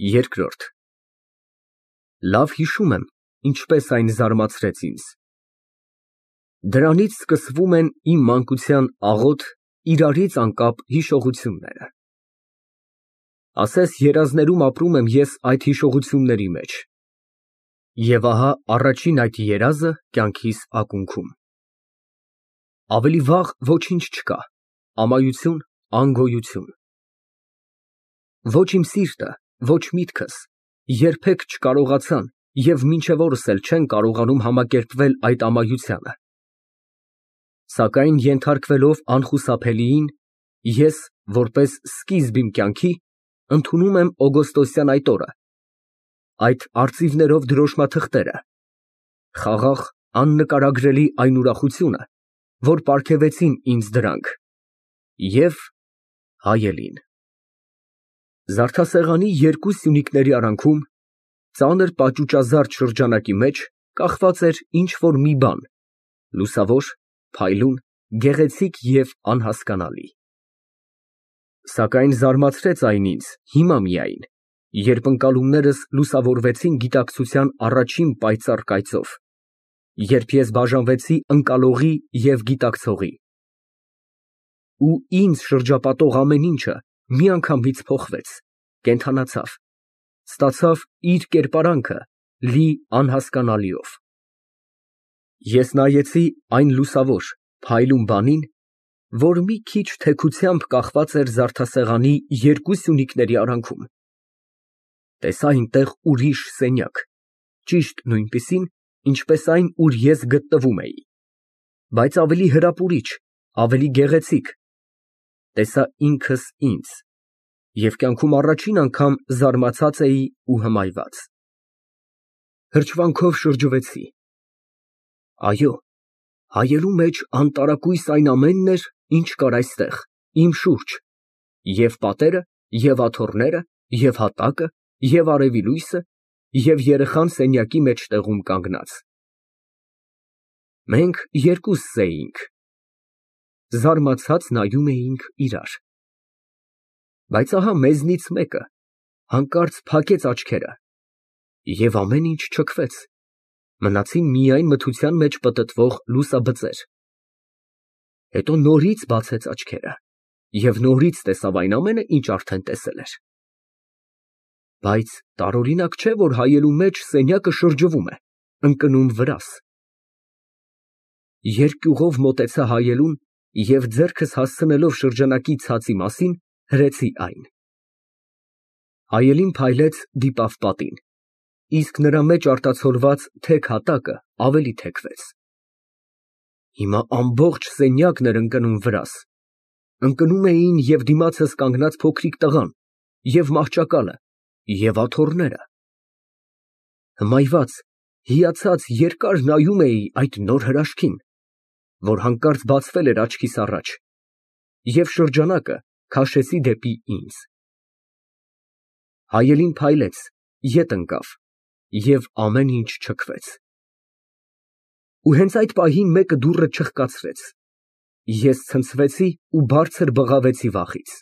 Երկրորդ Լավ հիշում եմ, ինչպես այն զարմացրեց ինձ։ Դրանից սկսվում են իմ մանկության աղոտ, իրարից անկապ հիշողությունները։ Ասես երազներում ապրում եմ ես այդ հիշողությունների մեջ։ Եվ ահա առաջին այդ երազը կյանքիս ակունքում։ Ավելի վաղ ոչինչ չկա, ամայություն, անգոյություն։ Ոչ իմ սիրտը, ոչ միտքս երբեք չկարողացան և մինչև օրս էլ չեն կարողանում համակերպվել այդ ամայությանը։ Սակայն ենթարկվելով անխուսափելիին, ես, որպես սկիզբ իմ կյանքի, ընդունում եմ օգոստոսյան այդ օրը, այդ արծիվներով դրոշմաթղթերը, խաղաղ, աննկարագրելի այն ուրախությունը, որ պարգևեցին ինձ դրանք, և հայելին։ Զարդասեղանի երկու սյունիկների արանքում, ծանր պաճուճազարդ շրջանակի մեջ կախված էր ինչ֊որ մի բան, լուսավոր, փայլուն, գեղեցիկ և անհասկանալի։ Սակայն զարմացրեց այն ինձ հիմա միայն, երբ ընկալումներս լուսավորվեցին գիտակցության առաջին պայծառ կայծով, երբ ես բաժանվեցի ընկալողի և գիտակցողի։ Ու ինձ շրջապատող ամեն ինչը միանգամից փոխվեց, կենդանացավ, ստացավ իր կերպարանքը լի անհասկանալիով։ Ես նայեցի այն լուսավոր, փայլուն բանին, որ մի քիչ թեքությամբ կախված էր զարդասեղանի երկու սյունիկների արանքում։ Տեսա այնտեղ ուրիշ սենյակ, ճիշտ նույնպիսին, ինչպես այն, ուր ես գտնվում էի, բայց ավելի հրապուրիչ, ավելի գեղեցիկ, տեսա ինքս ինձ և կյանքում առաջին անգամ զարմացած էի ու հմայված։ Հրճվանքով շրջվեցի։ Այո, հայելու մեջ անտարակույս այն ամենն էր, ինչ կար այստեղ, իմ շուրջ, և պատերը, և աթոռները, և հատակը, և արևի լույսը, և երեխան սենյակի մեջտեղում կանգնած։ Մենք երկուսս էինք, զարմացած նայում էինք իրար։ Բայց ահա մեզնից մեկը հանկարծ փակեց աչքերը, և ամեն ինչ չքվեց, մնացին միայն մթության մեջ պտտվող լուսաբծեր։ Հետո նորից բացեց աչքերը և նորից տեսավ այն ամենը, ինչ արդեն տեսել էր։ Բայց տարօրինակ չէ, որ հայելու մեջ սենյակը շրջվում է, ընկնում վրաս։ Երկյուղով մոտեցա հայելուն և ձեռքս հասցնելով շրջանակի ցածի մասին, հրեցի այն։ Հայելին փայլեց, դիպավ պատին, իսկ նրա մեջ արտացոլված թեք հատակը ավելի թեքվեց։ Հիմա ամբողջ սենյակն էր ընկնում վրաս, ընկնում էին և դիմացս կանգնած փոքրիկ տղան, և մահճակալը, և աթոռները։ Հմայված, հիացած երկար նայում էի այդ նոր հրաշքին, որ հանկարծ բացվել էր աչքիս առաջ, և շրջանակը քաշեցի դեպի ինձ։ Հայելին փայլեց, ետ ընկավ, և ամեն ինչ չքվեց։ Ու հենց այդ պահին մեկը դուռը չխկացրեց։ Ես ցնցվեցի ու բարձր բղավեցի վախից։